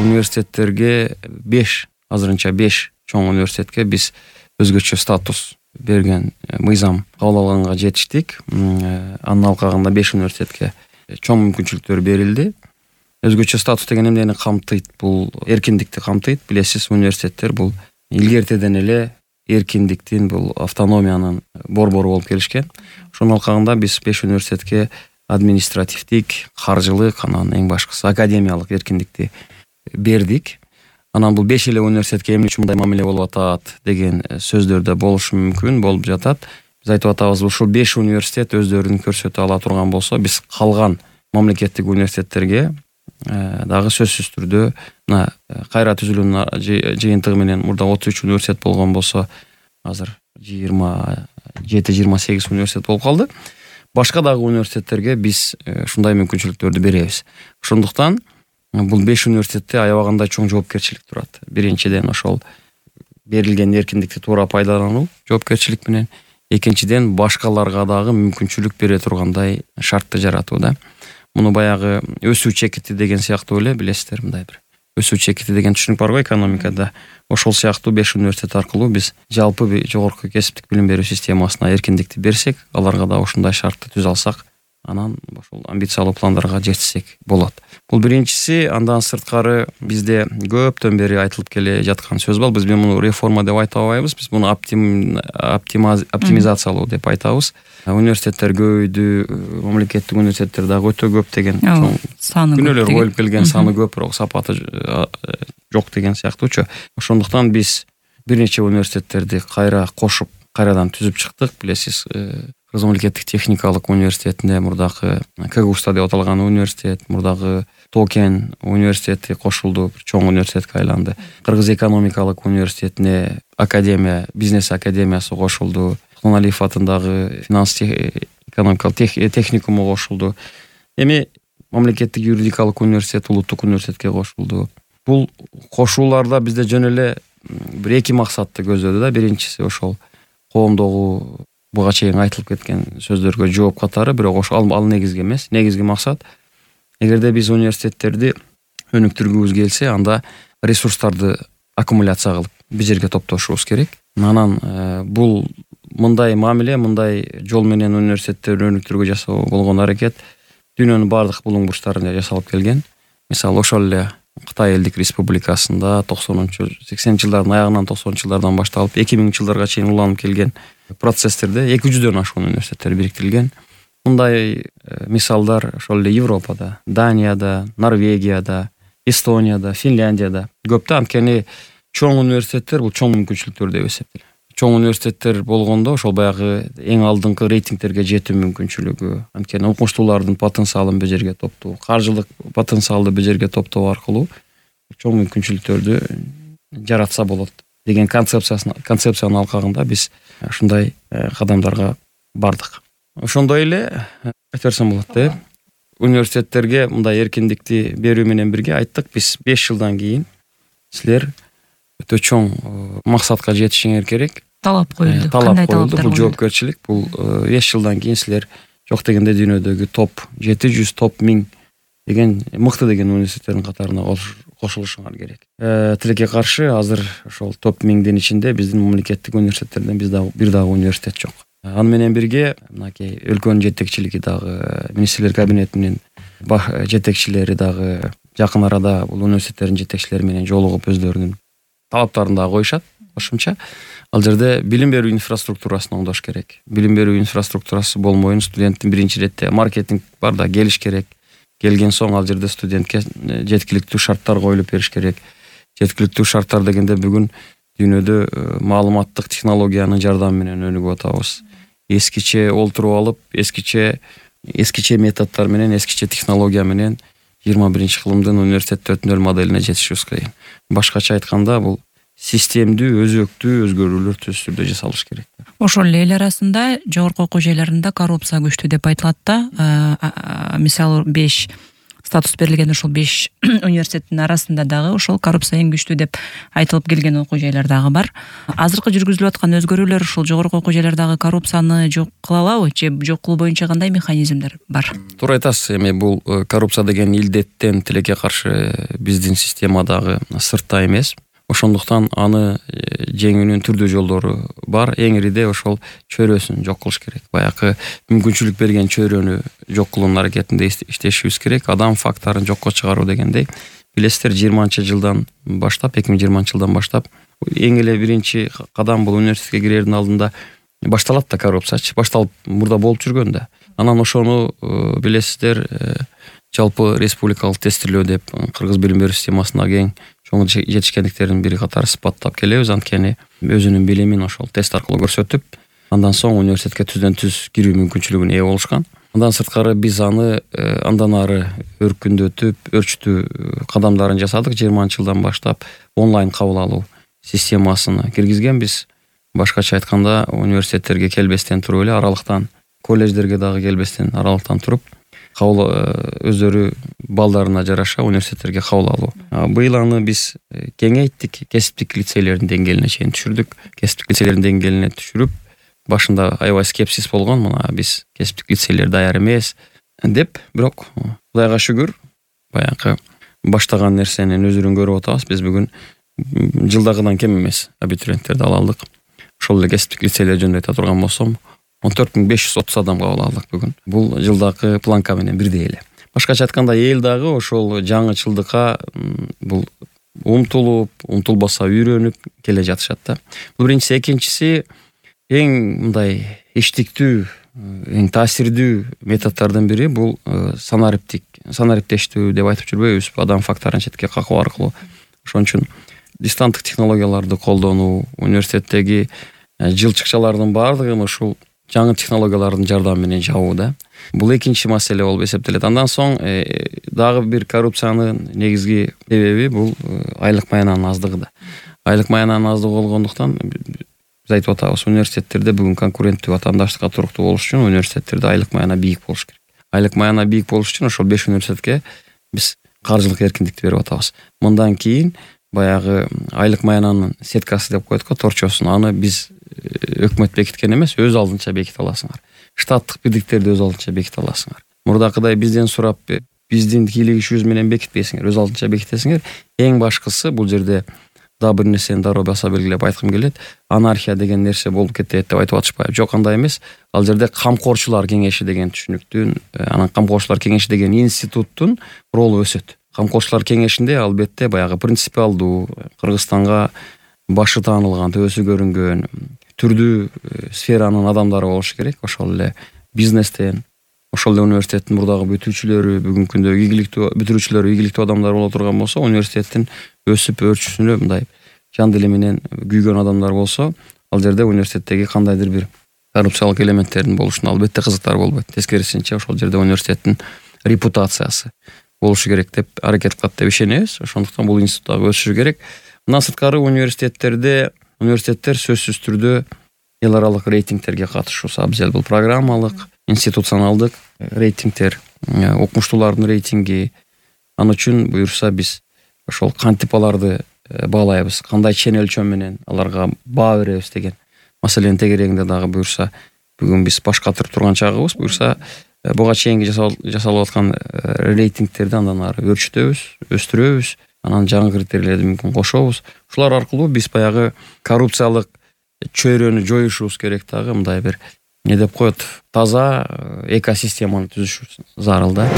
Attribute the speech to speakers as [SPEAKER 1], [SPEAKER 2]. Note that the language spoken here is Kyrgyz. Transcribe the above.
[SPEAKER 1] университеттерге 5 азырынча 5 чоң университетке биз өзгөчө статус берген мыйзам кабыл алганга жетиштик. Анын алкагында 5 университетке чоң мүмкүнчүлүктөр берилди. Өзгөчө статус деген эмнени камтыйт? Бул эркиндикти камтыйт. Билесиз, университеттер бул илгертеден эле эркиндиктин, бул автономиянын борбору болуп келишкен. Ошонун алкагында биз 5 университетке административдик, каржылык, анан эң башкысы академиялык эркиндикти бердик. Анан бул 5 эле университетке эмне үчүн мындай мамиле болуп атат деген сөздөр да болушу мүмкүн, болуп жатат. Биз айтып атабыз, ушул 5 университет өздөрүн көрсөтө ала турган болсо, биз калган мамлекеттик университеттерге дагы сөзсүз түрдө мына кайра түзүлүүнүн жыйынтыгы менен мурда 33 университет болгон болсо, азыр 27-28 университет болуп калды. Башка дагы университеттерге биз ушундай мүмкүнчүлүктөрдү беребиз. Ошондуктан бул 5 университетте аябагандай чоң жоопкерчилик турат. Биринчиден ошол берилген эркиндикти туура пайдалануу жоопкерчилик менен, экинчиден башкаларга дагы мүмкүнчүлүк бере тургандай шартты жаратуу да. Муну баягы өсүү чекити деген сыяктуу эле, билесиздер, мындай бир өсүү чекити деген түшүнүк бар го экономикада. Ошол сыяктуу 5 университет аркылуу биз жалпы жогорку кесиптик билим берүү системасына эркиндикти берсек, аларга да ушундай шартты түзө алсак, анан ошол амбициялуу пландарга жетсек болот. Бул биринчиси. Андан сырткары бизде көптөн бери айтылып келе жаткан сөз бар. Биз муну реформа деп айта албайбыз. Биз муну оптимизациялоо деп айтабыз. Университеттер көбөйдү, мамлекеттик университеттер дагы өтө көп деген чоң күнөөлөр коюлуп келген, саны көп, бирок сапаты жок деген сыяктуучу. Ошондуктан биз бир нече университеттерди кайра кошуп, кайрадан түзүп чыктык. Билесиз, Кыргыз мамлекеттик техникалык университетине мурдагы КГУста деп аталган университет, мурдагы Токен университети кошулду, бир чоң университетке айланды. Кыргыз экономикалык университетине академия, бизнес академиясы кошулду. Тоналиев атындагы финанс экономикалык техникуму кошулду. Эми мамлекеттик юридикалык университет, улуттук университетке кошулду. Бул кошууларда бизде жөн эле бир эки максатты көздөдү да. Биринчиси ошол коомдогу буга чейин айтылып кеткен сөздөргө жооп катары, бирок ошол ал негизги эмес. Негизги максат, эгерде биз университеттерди өнүктүргүбүз келсе, анда ресурстарды аккумуляция кылып бир жерге топтошубуз керек. Анан бул мындай мамиле, мындай жол менен университеттерди өнүктүрүүгө жасоо болгон аракет дүйнөнүн бардык булуң бурчтарында жасалып келген. Мисалы, ошол эле Кытай элдик республикасында 80 жылдардын аягынан 90 жылдардан башталып 2000 жылдарга чейин уланып келген процесстерде 200дөн ашуун университеттер бириктирилген. Мындай мисалдар ошол эле Европада, Данияда, Норвегияда, Эстонияда, Финляндияда көп да. Анткени чоң университеттер бул чоң мүмкүнчүлүктөр деп эсептелет. Чоң университеттер болгондо ошол баягы эң алдыңкы рейтингтерге жетүү мүмкүнчүлүгү, анткени окумуштуулардын потенциалын бир жерге топтоо, каржылык потенциалды бир жерге топтоо аркылуу чоң мүмкүнчүлүктөрдү жаратса болот деген концепциянын алкагында биз ушундай кадамдарга бардык. Ошондой эле айта берсем болот да. Университеттерге мындай эркиндикти берүү менен бирге айттык, биз 5 жылдан кийин силер өтө чоң максатка жетишиңер керек.
[SPEAKER 2] Талап коюлду.
[SPEAKER 1] Талап коюлду. Бул жоопкерчилик. Бул 5 жылдан кийин силер жок дегенде дүйнөдөгү топ 700, топ 1000 деген мыкты деген университеттердин катарына кошулушуңар керек. Тилекке каршы азыр ошол топ 1000дин ичинде биздин мамлекеттик университеттерден бир дагы университет жок. Аны менен бирге мынакей өлкөнүн жетекчилиги дагы, министрлер кабинетинин жетекчилери дагы жакын арада бул университеттердин жетекчилери менен жолугуп өздөрүнүн талаптарын да коюшат. Кошумча ал жерде билим берүү инфраструктурасын оңдош керек. Билим берүү инфраструктурасы болмойын студенттин биринчи иретте маркетинг бар да, келиш керек. Келген соң ал жерде студентке жеткиликтүү шарттар коюлуп бериш керек. Жеткиликтүү шарттар дегенде бүгүн дүйнөдө маалыматтык технологиянын жардамы менен өнүгүп атабыз. Эскиче олтуруп алып, эскиче методдор менен, эскиче технология менен 21-кылымдын университет 4.0 моделине жетишибиз кыйын. Башкача айтканда, бул системдүү, өзөктүү өзгөрүүлөр түз түрдө жасалыш керек.
[SPEAKER 2] Ошол эл арасында жогорку окуу жайларында коррупция күчтүү деп айтылат да. Мисалы 5 статус берилген ушул 5 университеттин арасында дагы ошол коррупция эң күчтүү деп айтылып келген окуу жайлар дагы бар. Азыркы жүргүзүлүп аткан өзгөрүүлөр ушул жогорку окуу жайлардагы коррупцияны жок кыла алабы же жок кылуу боюнча кандай механизмдер бар?
[SPEAKER 1] Туура айтасыз. Эми бул коррупция деген илдеттен тилекке каршы биздин системадагы сыртта эмес. Ошондуктан аны жеңүүнүн түрдүү жолдору бар. Эң ириде ошол чөйрөсүн жок кылыш керек. Баягы мүмкүнчүлүк берген чөйрөнү жок кылуунун аракетинде иштешибиз керек. Адам фактарын жокко чыгаруу дегендей. Билесиздер, 20-жылдан баштап, 2020-жылдан баштап эң эле биринчи кадам бул университетке кирердин алдында башталат да коррупциячы. Башталып мурда болуп жүргөн да. Анан ошону билесиздер, жалпы республикалык тестирлөө деп кыргыз билим берүү системасына кең чоң жетишкендиктердин бири катары сыпаттап келебиз. Анткени өзүнүн билимин ошол тест аркылуу көрсөтүп, андан соң университетке түздөн түз кирүү мүмкүнчүлүгүнө ээ болушкан. Андан сырткары биз аны андан ары өркүндөтүп, өрчүтүү кадамдарын жасадык. 20-жылдан баштап онлайн кабыл алуу системасына киргизгенбиз. Башкача айтканда, университеттерге келбестен туруп эле аралыктан, колледждерге дагы келбестен аралыктан туруп кабыл өздөрү балдарына жараша университеттерге кабыл алуу. Быйыл аны биз кеңейттик, кесиптик лицейлердин деңгээлине чейин түшүрдүк. Кесиптик лицейлердин деңгээлине түшүрүп, башында аябай скепсис болгон, мына биз кесиптик лицейлер даяр эмес деп, бирок Кудайга шүгүр, баягы баштаган нерсенин өзүрүн көрүп атабыз. Биз бүгүн жылдагыдан кем эмес абитуриенттерди ала алдык. Ошол эле кесиптик лицейлер жөнүндө айта турган болсом, 14.530 адам кабыл алдык бүгүн. Бул жылдагы планка менен бирдей эле. Башкача айтканда, эл дагы ошол жаңычылдыкка бул умтулбаса үйрөнүп келе жатышат да. Бул биринчиси. Экинчиси, эң мындай иштиктүү, эң таасирдүү методдордун бири бул санариптештүү деп айтып жүрбөйбүзбү? Адам фактарын четке какуу аркылуу. Ошон үчүн дистанттык технологияларды колдонуу, университеттеги жылчыкчалардын баардыгын ушул жаңы технологиялардын жардамы менен жабуу да. Бул экинчи маселе болуп эсептелет. Андан соң дагы бир коррупциянын негизги себеби бул айлык маянанын аздыгы да. Айлык маянанын аздыгы болгондуктан биз айтып атабыз, университеттерде бүгүн конкуренттүү ватандаштыкка туруктуу болуш үчүн университеттерде айлык маяна бийик болуш керек. Айлык маяна бийик болуш үчүн ошол 5 университетке биз каржылык эркиндикти берип атабыз. Мындан кийин баягы айлык маянанын сеткасы деп коет го, торчосун, аны биз өкмөт бекиткен эмес, өз алдынча беките аласыңар. Штаттык бирдиктерди өз алдынча беките аласыңар. Мурдакыдай бизден сурап, биздин кийлик ишибиз менен бекитпейсиңер, өз алдынча бекитесиңер. Эң башкысы, бул жерде дагы бир нерсени дароо баса белгилеп айткым келет. Анархия деген нерсе болуп кетет деп айтып атышпайбы? Жок, андай эмес. Ал жерде камкорчулар кеңеши деген түшүнүктүн, анан камкорчулар кеңеши деген институттун ролу өсөт. Камкорчулар кеңешинде албетте баягы принципиалдуу, Кыргызстанга башы таанылган, төбөсү көрүнгөн, түрдүү сферанын адамдары болушу керек. Ошол эле бизнестен, ошол эле университеттин мурдагы бүтүүчүлөрү, бүгүнкү күндө ийгиликтүү бүтүрүүчүлөрү, ийгиликтүү адамдар боло турган болсо, университеттин өсүп өрчүсүнө мындай жан дили менен күйгөн адамдар болсо, ал жерде университеттеги кандайдыр бир коррупциялык элементтердин болушуна албетте кызыктар болбойт. Тескерисинче, ошол жерде университеттин репутациясы болушу керек деп аракет кылат деп ишенебиз. Ошондуктан бул институт дагы өсүшү керек. Мындан сырткары университеттер сөзсүз түрдө эл аралык рейтингтерге катышуусу абзел. Бул программалык, институционалдык рейтингтер, окумуштуулардын рейтинги. Ал үчүн буюрса биз ошол кантип аларды баалайбыз, кандай чен өлчөм менен аларга баа беребиз деген маселенин тегерегинде дагы буюрса бүгүн биз баш катырып турган чагыбыз. Буюрса буга чейинки жасалып аткан рейтингтерди андан ары өрчүтөбүз, өстүрөбүз, анан жаңы критерийлерди мүмкүн кошобуз. Ушулар аркылуу биз баягы коррупциялык чөйрөнү жоюшубуз керек, дагы мындай бир не деп коет, таза экосистеманы түзүшүбүз зарыл да.